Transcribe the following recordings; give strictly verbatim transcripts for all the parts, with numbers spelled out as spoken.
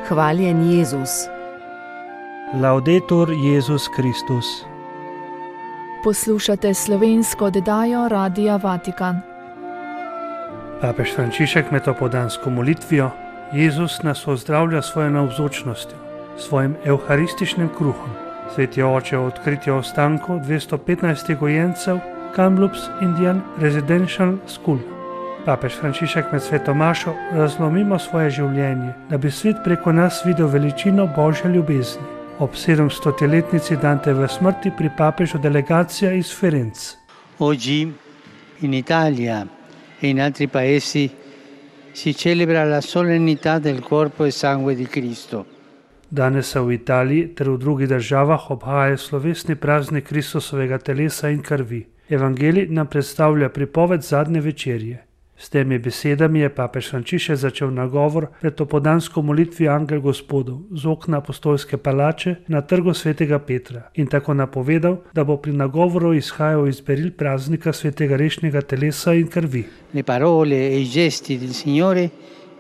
Hvaljen Jezus. Laudetur Jezus Kristus. Poslušate slovensko oddajo Radia Vatikan. Papež Frančišek med opoldansko molitvijo Jezus nas ozdravlja svojo navzočnostjo, svojim evharističnim kruhom. Sveti oče odkritje ostankov dvesto petnajst gojencev Kamloops Indian Residential School. Papež Frančišek med sveto mašo razlomimo svoje življenje, da bi svet preko nas videl veličino Božje ljubezni. Ob sedemstoletnici Danteve smrti pri papežu delegacija iz Firenze. Oggi in Italia e in altri paesi si celebra la solennità del corpo e sangue di Cristo. Danes se v Italiji ter v drugih državah obhaja slovesni praznik Kristusovega telesa in krvi. Evangelij nam predstavlja pripoved zadnje večerje. S temi besedami je papež Frančišek začel nagovor pred opoldansko molitvijo Angel Gospodov z okna apostolske palače na trgu svetega Petra in tako napovedal, da bo pri nagovoru izhajal iz beril praznika svetega rešnjega telesa in krvi. Le parole e i gesti del Signore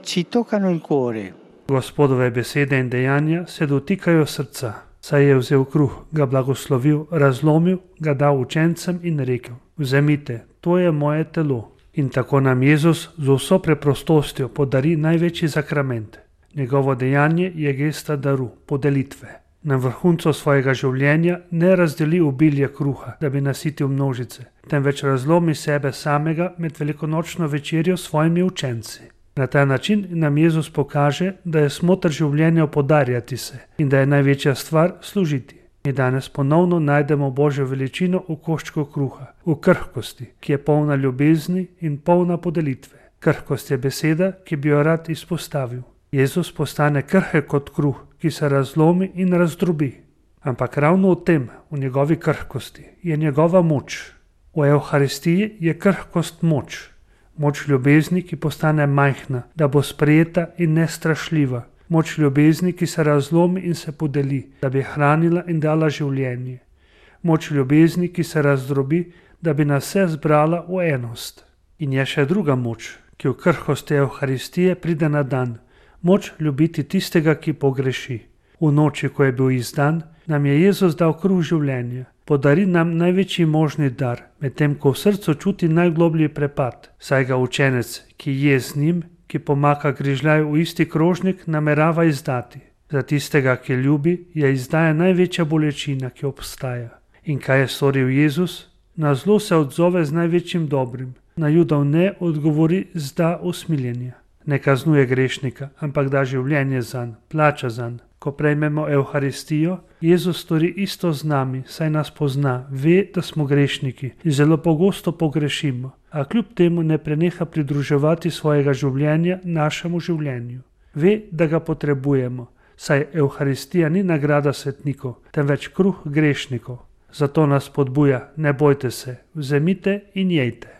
ci toccano il cuore. Gospodove besede in dejanja se dotikajo srca, saj je vzel kruh, ga blagoslovil, razlomil, ga dal učencem in rekel: Vzemite, to je moje telo. In tako nam Jezus z vso preprostostjo podari največji zakrament. Njegovo dejanje je gesta daru, podelitve. Na vrhuncu svojega življenja ne razdeli obilje kruha, da bi nasitil množice, temveč razlomi sebe samega med velikonočno večerjo s svojimi učenci. Na ta način nam Jezus pokaže, da je smoter življenja podarjati se in da je največja stvar služiti. Mi danes ponovno najdemo Božjo veličino v koščku kruha, v krhkosti, ki je polna ljubezni in polna podelitve. Krhkost je beseda, ki bi jo rad izpostavil. Jezus postane krhek kot kruh, ki se razlomi in razdrobi. Ampak ravno v tem, v njegovi krhkosti, je njegova moč. V Evharistiji je krhkost moč. Moč ljubezni, ki postane majhna, da bo sprejeta in nestrašljiva. Moč ljubezni, ki se razlomi in se podeli, da bi hranila in dala življenje. Moč ljubezni, ki se razdrobi, da bi nas vse zbrala v enost. In je še druga moč, ki v krhkosti Evharistije pride na dan. Moč ljubiti tistega, ki pogreši. V noči, ko je bil izdan, nam je Jezus dal kruh življenja. Podari nam največji možni dar, medtem ko v srcu čuti najgloblji prepad, saj ga učenec, ki je z njim, ki pomaka grižljaj v isti krožnik, namerava izdati. Za tistega, ki ljubi, je izdaja največja bolečina, ki obstaja. In kaj je storil Jezus? Na zlo se odzove z največjim dobrim. Na Judov ne odgovori z da usmiljenja. Ne kaznuje grešnika, ampak da življenje zanj, plača zanj. Ko prejmemo Evharistijo, Jezus stori isto z nami, saj nas pozna, ve, da smo grešniki in zelo pogosto pogrešimo, a kljub temu ne preneha pridruževati svojega življenja našemu življenju. Ve, da ga potrebujemo, saj Evharistija ni nagrada svetnikov, temveč kruh grešnikov. Zato nas spodbuja: ne bojte se, vzemite in jejte.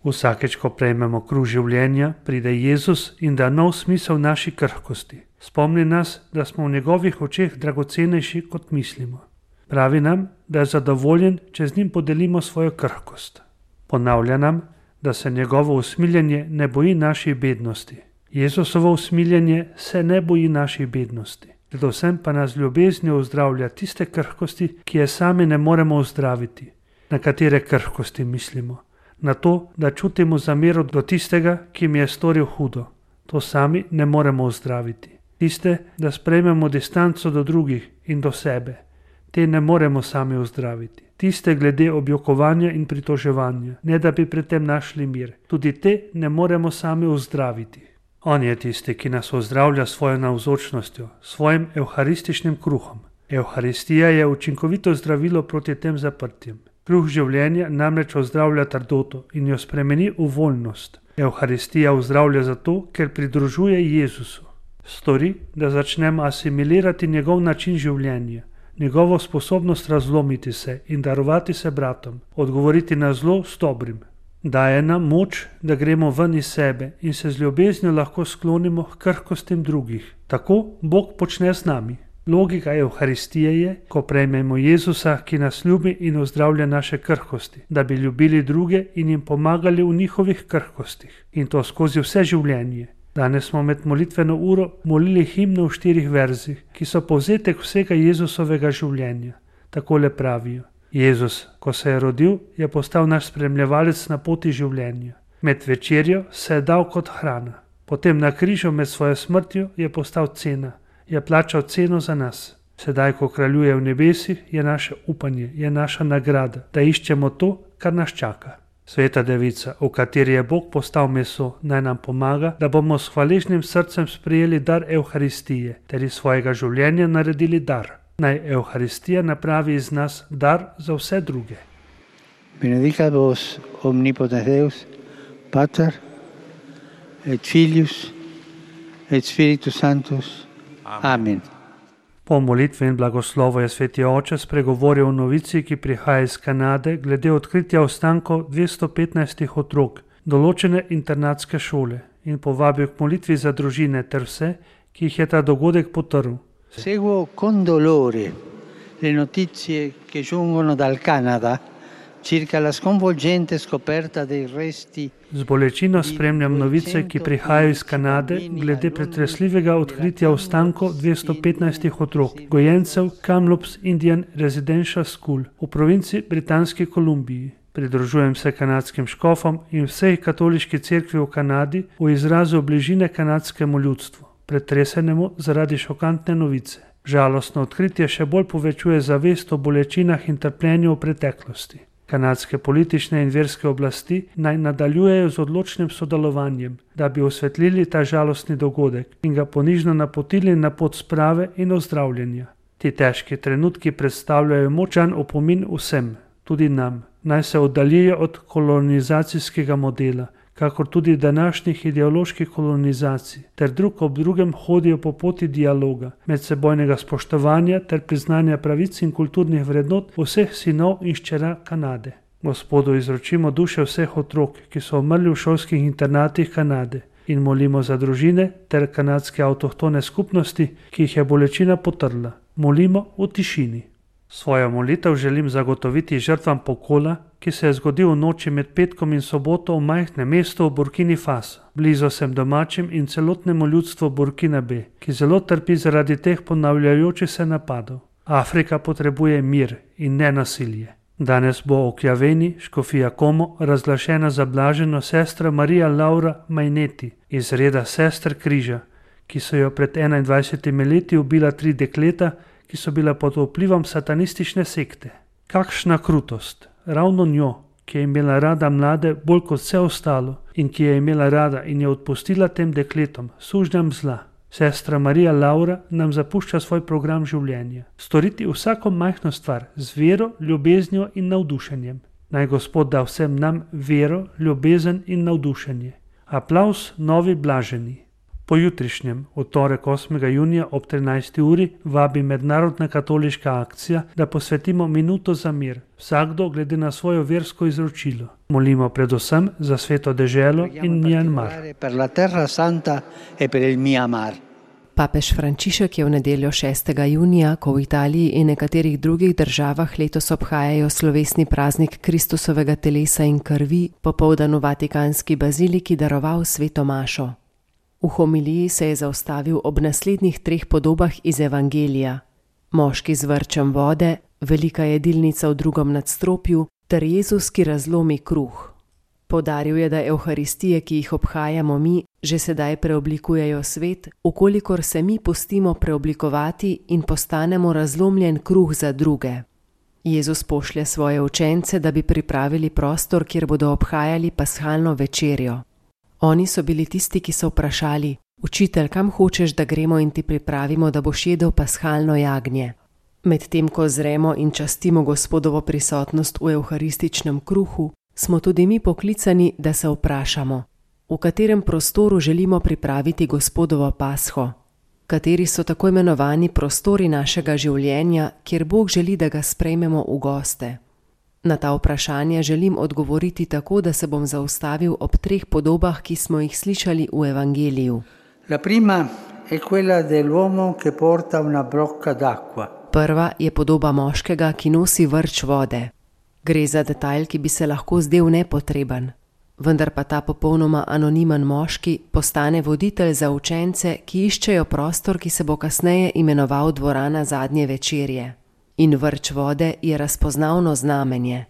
Vsakeč, ko prejmemo kruh življenja, pride Jezus in da nov smisel naši krhkosti. Spomni nas, da smo v njegovih očeh dragocenejši, kot mislimo. Pravi nam, da je zadovoljen, če z njim podelimo svojo krhkost. Ponavlja nam, da se njegovo usmiljenje ne boji naših bednosti. Jezusovo usmiljenje se ne boji naših bednosti. Predvsem pa nas ljubeznijo ozdravlja tiste krhkosti, ki je sami ne moremo ozdraviti. Na katere krhkosti mislimo? Na to, da čutimo zamero do tistega, ki mi je storil hudo. To sami ne moremo ozdraviti. Tiste, da sprejmemo distanco do drugih in do sebe. Te ne moremo sami ozdraviti. Tiste glede objokovanja in pritoževanja, ne da bi pri tem našli mir. Tudi te ne moremo sami ozdraviti. On je tisti, ki nas ozdravlja svojo navzočnostjo, svojim evharističnim kruhom. Evharistija je učinkovito zdravilo proti tem zaprtjem. Kruh življenja namreč ozdravlja trdoto in jo spremeni v voljnost. Evharistija ozdravlja zato, ker pridružuje Jezusu. Stori, da začnemo asimilirati njegov način življenja, njegovo sposobnost razlomiti se in darovati se bratom, odgovoriti na zlo s dobrim. Daje nam moč, da gremo ven iz sebe in se z ljubeznijo lahko sklonimo k krhkostim drugih. Tako Bog počne z nami. Logika Evharistije je, ko prejmemo Jezusa, ki nas ljubi in ozdravlja naše krhkosti, da bi ljubili druge in jim pomagali v njihovih krhkostih. In to skozi vse življenje. Danes smo med molitveno uro molili himno v štirih verzih, ki so povzetek vsega Jezusovega življenja. Takole pravijo: Jezus, ko se je rodil, je postal naš spremljevalec na poti življenja. Med večerjo se je dal kot hrana. Potem na križu med svojo smrtjo je postal cena, je plačal ceno za nas. Sedaj, ko kraljuje v nebesih, je naše upanje, je naša nagrada, da iščemo to, kar nas čaka. Sveta Devica, v kateri je Bog postal meso, naj nam pomaga, da bomo s hvaležnim srcem sprejeli dar Evharistije, ter iz svojega življenja naredili dar. Naj Evharistija napravi iz nas dar za vse druge. Benedicat vos omnipotens Deus, Pater et Filius et Spiritus Sanctus. Amen. Po molitvi in blagoslovu je sveti oče spregovoril o novici, ki prihaja iz Kanade, glede odkritja ostankov dvesto petnajst otrok določene internatske šole in povabil k molitvi za družine ter vse, ki jih je ta dogodek potrl. Seguo con dolore le notizie che giungono dal Canada circa la sconvolgente scoperta dei resti. Z bolečino spremljam novice, ki prihajajo iz Kanade glede pretresljivega odkritja ostankov dvesto petnajst otrok, gojencev Kamloops Indian Residential School v provinci Britanski Kolumbiji. Pridružujem se kanadskim škofom in vsej katoliški cerkvi v Kanadi v izrazu bližine kanadskemu ljudstvu, pretresenemu zaradi šokantne novice. Žalostno odkritje še bolj povečuje zavest o bolečinah in trpljenju v preteklosti. Kanadske politične in verske oblasti naj nadaljujejo z odločnim sodelovanjem, da bi osvetlili ta žalostni dogodek in ga ponižno napotili na pot sprave in ozdravljenja. Ti težki trenutki predstavljajo močan opomin vsem, tudi nam, naj se oddaljijo od kolonizacijskega modela, kakor tudi današnjih ideoloških kolonizacij, ter drug ob drugem hodijo po poti dialoga, medsebojnega spoštovanja ter priznanja pravic in kulturnih vrednot vseh sinov in hčera Kanade. Gospodu izročimo duše vseh otrok, ki so umrli v šolskih internatih Kanade, in molimo za družine ter kanadske avtohtone skupnosti, ki jih je bolečina potrla. Molimo v tišini. Svojo molitev želim zagotoviti žrtvam pokola, ki se je zgodil v noči med petkom in soboto v majhnem mestu v Burkini Faso. Blizu sem domačim in celotnemu ljudstvu Burkinabe, ki zelo trpi zaradi teh ponavljajočih se napadov. Afrika potrebuje mir in ne nasilje. Danes bo v Kjaveni, škofija Como, razglašena za blaženo sestra Marija Laura Maineti iz reda sester križa, ki so jo pred enaindvajsetimi leti ubila tri dekleta, ki so bila pod vplivom satanistične sekte. Kakšna krutost! Ravno njo, ki je imela rada mlade bolj kot vse ostalo in ki je imela rada in je odpustila tem dekletom, sužnjam zla. Sestra Marija Laura nam zapušča svoj program življenja. Storiti vsako majhno stvar z vero, ljubeznijo in navdušenjem. Naj Gospod da vsem nam vero, ljubezen in navdušenje. Aplavz novi blaženi. Pojutrišnjem, v torek osmega junija ob trinajsti uri, vabi Mednarodna katoliška akcija, da posvetimo minuto za mir, vsakdo glede na svojo versko izročilo. Molimo predvsem za sveto deželo in Mjanmar. Papež Frančišek je v nedeljo šestega junija, ko v Italiji in nekaterih drugih državah letos obhajajo slovesni praznik Kristusovega telesa in krvi, popoldan v Vatikanski baziliki daroval sveto mašo. V homiliji se je zaustavil ob naslednjih treh podobah iz Evangelija: moški z vrčem vode, velika jedilnica v drugem nadstropju ter Jezus, ki razlomi kruh. Poudaril je, da Evharistije, ki jih obhajamo mi, že sedaj preoblikujejo svet, ukolikor se mi pustimo preoblikovati in postanemo razlomljen kruh za druge. Jezus pošlje svoje učence, da bi pripravili prostor, kjer bodo obhajali pashalno večerjo. Oni so bili tisti, ki so vprašali: Učitelj, kam hočeš, da gremo in ti pripravimo, da boš jedel pashalno jagnje? Medtem ko zremo in častimo Gospodovo prisotnost v evharističnem kruhu, smo tudi mi poklicani, da se vprašamo, v katerem prostoru želimo pripraviti Gospodovo pasho, kateri so tako imenovani prostori našega življenja, kjer Bog želi, da ga sprejmemo v goste. Na ta vprašanja želim odgovoriti tako, da se bom zaustavil ob treh podobah, ki smo jih slišali v Evangeliju. La prima è quella dell'uomo che porta una brocca d'acqua. Prva je podoba moškega, ki nosi vrč vode. Gre za detajl, ki bi se lahko zdel nepotreben. vendar pa ta popolnoma anonimen moški postane voditelj za učence, ki iščejo prostor, ki se bo kasneje imenoval dvorana zadnje večerje. In vrč vode je razpoznavno znamenje.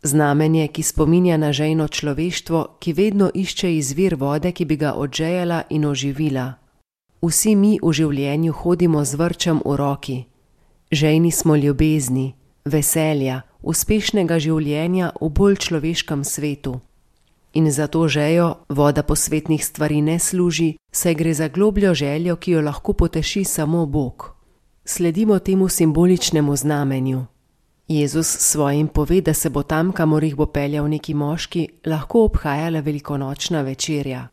Znamenje, ki spominja na žejno človeštvo, ki vedno išče izvir vode, ki bi ga odžejala in oživila. Vsi mi v življenju hodimo z vrčem v roki. Žejni smo ljubezni, veselja, uspešnega življenja v bolj človeškem svetu. In za to žejo voda posvetnih stvari ne služi, saj gre za globljo željo, ki jo lahko poteši samo Bog. Sledimo temu simboličnemu znamenju. Jezus svojim pove, da se bo tam, kamor jih bo peljal neki moški, lahko obhajala velikonočna večerja.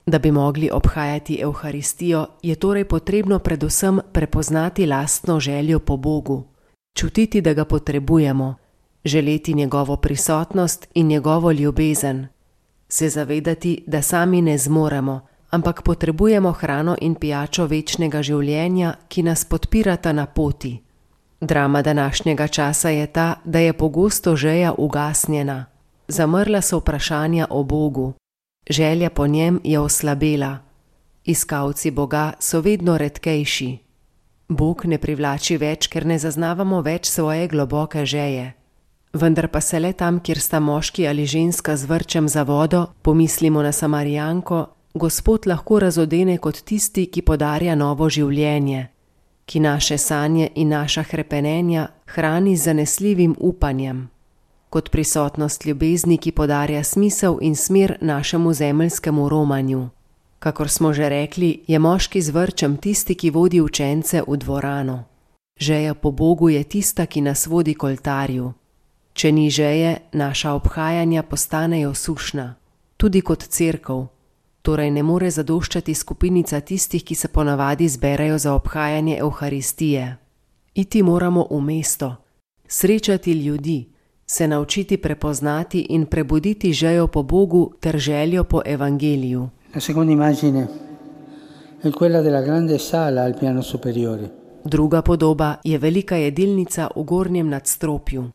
Da bi mogli obhajati Evharistijo, je torej potrebno predvsem prepoznati lastno željo po Bogu, čutiti, da ga potrebujemo, želeti njegovo prisotnost in njegovo ljubezen, se zavedati, da sami ne zmoremo, ampak potrebujemo hrano in pijačo večnega življenja, ki nas podpirata na poti. Drama današnjega časa je ta, da je pogosto želja ugasnjena. Zamrla so vprašanja o Bogu. Želja po njem je oslabela. Iskalci Boga so vedno redkejši. Bog ne privlači več, ker ne zaznavamo več svoje globoke želje. Vendar pa se le tam, kjer sta moški ali ženska z vrčem za vodo, pomislimo na Samarijanko, Gospod lahko razodene kot tisti, ki podarja novo življenje, ki naše sanje in naša hrepenenja hrani z zanesljivim upanjem, kot prisotnost ljubezni, ki podarja smisel in smer našemu zemeljskemu romanju. Kakor smo že rekli, je moški z vrčem tisti, ki vodi učence v dvorano. Želja po Bogu je tista, ki nas vodi k oltarju. Če ni želje, naša obhajanja postanejo sušna, tudi kot cerkev. Torej ne more zadoščati skupinica tistih, ki se ponavadi zberejo za obhajanje Evharistije. Iti moramo v mesto, srečati ljudi, se naučiti prepoznati in prebuditi željo po Bogu ter željo po evangeliju. La seconda immagine è quella della grande sala al piano superiore. Druga podoba je velika jedilnica v gornjem nadstropju.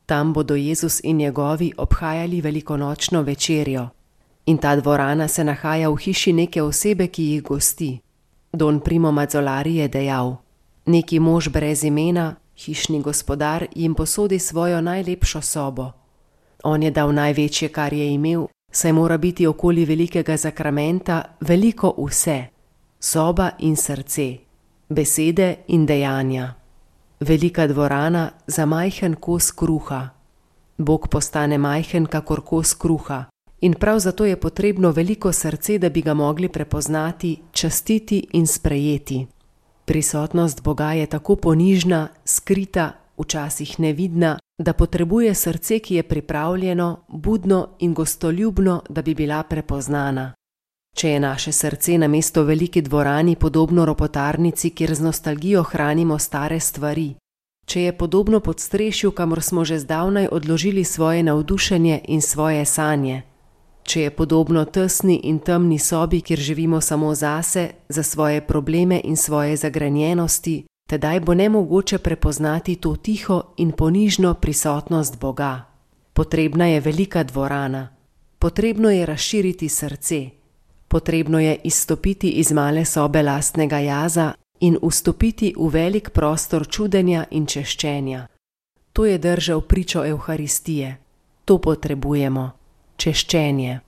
Tam bodo Jezus in njegovi obhajali velikonočno večerjo. In ta dvorana se nahaja v hiši neke osebe, ki jih gosti. Don Primo Mazzolari je dejal: neki mož brez imena, hišni gospodar, jim posodi svojo najlepšo sobo. On je dal največje, kar je imel, saj mora biti okoli velikega zakramenta veliko vse, soba in srce, besede in dejanja. Velika dvorana za majhen kos kruha. Bog postane majhen kakor kos kruha. In prav zato je potrebno veliko srce, da bi ga mogli prepoznati, častiti in sprejeti. Prisotnost Boga je tako ponižna, skrita, včasih nevidna, da potrebuje srce, ki je pripravljeno, budno in gostoljubno, da bi bila prepoznana. Če je naše srce namesto veliki dvorani podobno ropotarnici, kjer z nostalgijo hranimo stare stvari, če je podobno podstrešju, kamor smo že zdavnaj odložili svoje navdušenje in svoje sanje, če je podobno tesni in temni sobi, kjer živimo samo zase, za svoje probleme in svoje zagrenjenosti, tedaj bo nemogoče prepoznati to tiho in ponižno prisotnost Boga. Potrebna je velika dvorana, potrebno je razširiti srce, potrebno je izstopiti iz male sobe lastnega jaza in vstopiti v velik prostor čudenja in češčenja. To je držal pričo Evharistije. To potrebujemo. Češčenje.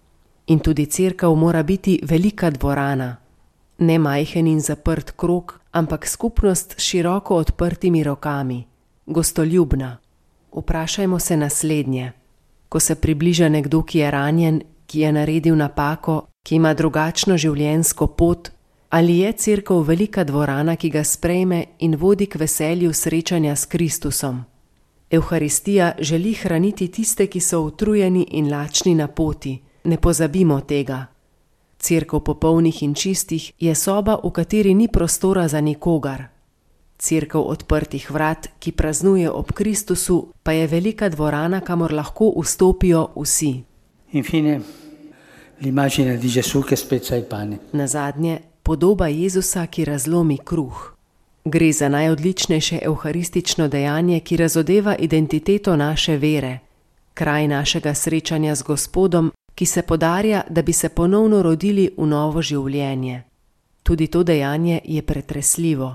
In tudi cerkev mora biti velika dvorana. Ne majhen in zaprt krog, ampak skupnost s široko odprtimi rokami. Gostoljubna. Vprašajmo se naslednje. Ko se približa nekdo, ki je ranjen, ki je naredil napako, ki ima drugačno življenjsko pot, ali je cerkev velika dvorana, ki ga sprejme in vodi k veselju srečanja s Kristusom? Evharistija želi hraniti tiste, ki so utrujeni in lačni na poti. Ne pozabimo tega. Cerkev popolnih in čistih je soba, v kateri ni prostora za nikogar. Cerkev odprtih vrat, ki praznuje ob Kristusu, pa je velika dvorana, kamor lahko vstopijo vsi. Infine, l'immagine di Gesù che spezza il pane. Nazadnje, podoba Jezusa, ki razlomi kruh. Gre za najodličnejše evharistično dejanje, ki razodeva identiteto naše vere, kraj našega srečanja z Gospodom, ki se podarja, da bi se ponovno rodili v novo življenje. Tudi to dejanje je pretresljivo.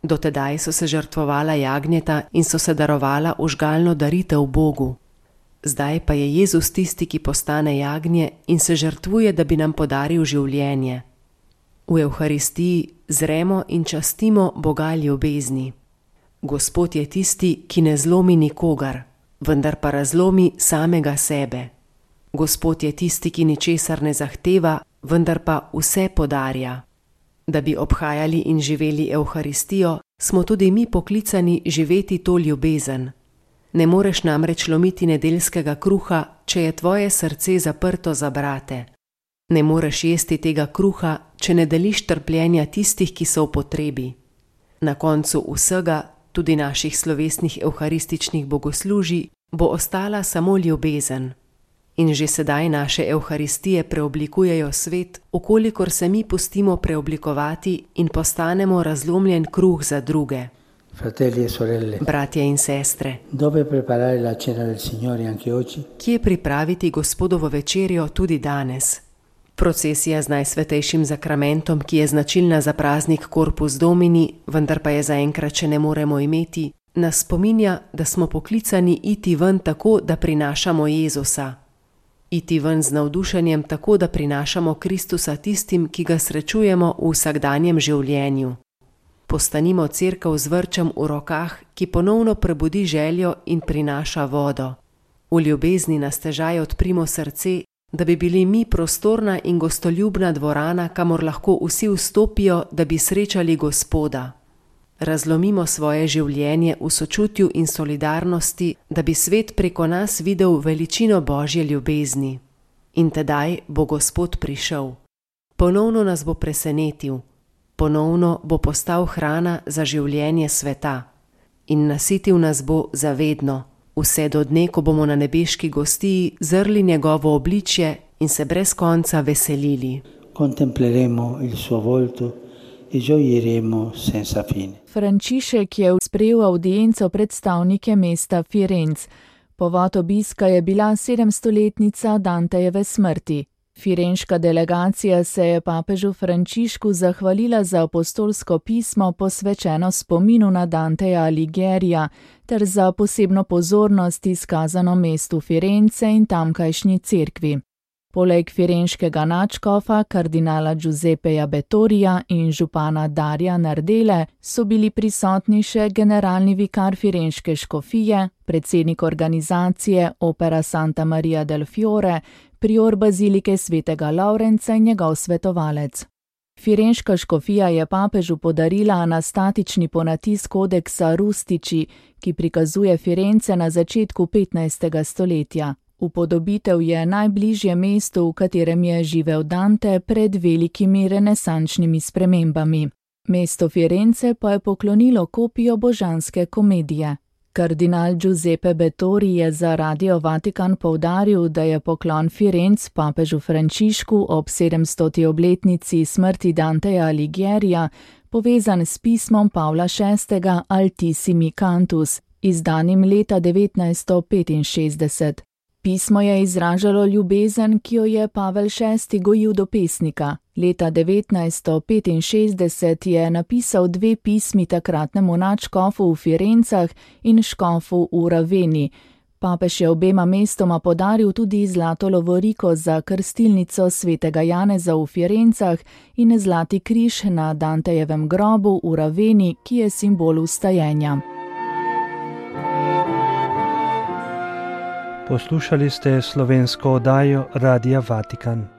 Dotedaj so se žrtvovala jagnjeta in so se darovala ožgalno daritev Bogu. Zdaj pa je Jezus tisti, ki postane jagnje in se žrtvuje, da bi nam podaril življenje. V Evharistiji zremo in častimo Boga ljubezni. Gospod je tisti, ki ne zlomi nikogar, vendar pa razlomi samega sebe. Gospod je tisti, ki ničesar ne zahteva, vendar pa vse podarja. Da bi obhajali in živeli Evharistijo, smo tudi mi poklicani živeti to ljubezen. Ne moreš namreč lomiti nedeljskega kruha, če je tvoje srce zaprto za brate. Ne moreš jesti tega kruha, če ne deliš trpljenja tistih, ki so v potrebi. Na koncu vsega, tudi naših slovesnih evharističnih bogoslužij, bo ostala samo ljubezen. In že sedaj naše evharistije preoblikujejo svet, okolikor se mi pustimo preoblikovati in postanemo razlomljen kruh za druge. Fratelli e sorelle, bratje in sestre, dove preparare la cena del Signore anche oggi? Kje pripraviti Gospodovo večerjo tudi danes? Procesija z najsvetejšim zakramentom, ki je značilna za praznik Corpus Domini, vendar pa je zaenkrat še ne moremo imeti, nas spominja, da smo poklicani iti ven tako, da prinašamo Jezusa. Iti ven z navdušenjem tako, da prinašamo Kristusa tistim, ki ga srečujemo v vsakdanjem življenju. Postanimo cerkev z vrčem v rokah, ki ponovno prebudi željo in prinaša vodo. V ljubezni na stežaj odprimo srce, da bi bili mi prostorna in gostoljubna dvorana, kamor lahko vsi vstopijo, da bi srečali Gospoda. Razlomimo svoje življenje v sočutju in solidarnosti, da bi svet preko nas videl veličino Božje ljubezni. In tedaj bo Gospod prišel. Ponovno nas bo presenetil. Ponovno bo postal hrana za življenje sveta. In nasitil nas bo zavedno, vse do dne, ko bomo na nebeški gostiji zrli njegovo obličje in se brez konca veselili. Contempleremo il suo volto e gioiremo senza fine. Frančišek je sprejel avdienco predstavnike mesta Firenc. Povod obiska je bila sedemstoletnica Dantejeve smrti. Firenška delegacija se je papežu Frančišku zahvalila za apostolsko pismo posvečeno spominu na Danteja Alighiera ter za posebno pozornost izkazano mestu Firence in tamkajšnji cerkvi. Poleg firenškega nadškofa, kardinala Giuseppeja Bettorija in župana Darja Nardele, so bili prisotni še generalni vikar firenške škofije, predsednik organizacije Opera Santa Maria del Fiore, prior bazilike svetega Lavrenca in njegov svetovalec. Firenška škofija je papežu podarila anastatični ponatis kodeksa Rustici, ki prikazuje Firence na začetku petnajstega stoletja. Upodobitev je najbližje mestu, v katerem je živel Dante pred velikimi renesančnimi spremembami. Mesto Firence pa je poklonilo kopijo Božanske komedije. Kardinal Giuseppe Bettori je za Radio Vatikan poudaril, da je poklon Firenc papežu Frančišku ob sedemstoti obletnici smrti Danteja Alighierija povezan s pismom Pavla šestega Altissimi Cantus, izdanim leta devetnajststo petinšestdeset. Pismo je izražalo ljubezen, ki jo je Pavel šesti gojil do pesnika. Leta devetnajststo petinšestdeset je napisal dve pismi takratnemu nadškofu v Firencah in škofu v Raveni. Papež je obema mestoma podaril tudi zlato lovoriko za krstilnico svetega Janeza v Firencah in zlati križ na Dantejevem grobu v Raveni, ki je simbol vstajenja. Poslušali ste slovensko oddajo Radia Vatikan.